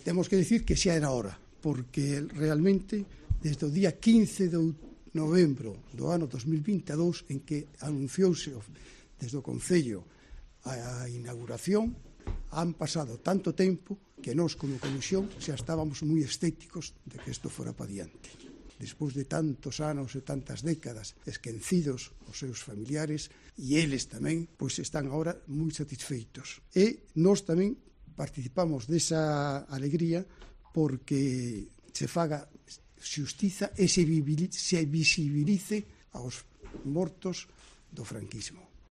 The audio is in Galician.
temos que dicir que xa era hora, porque realmente desde o día 15 de novembro do ano 2022 en que anunciouse desde o Concello a inauguración, han pasado tanto tempo que nós como comisión xa estábamos moi escépticos de que isto fora pa diante. Despois de tantos anos e tantas décadas esquecidos os seus familiares, e eles tamén, pois están agora moi satisfeitos. E nós tamén participamos desa alegría porque se faga xustiza e se visibilice aos mortos do franquismo.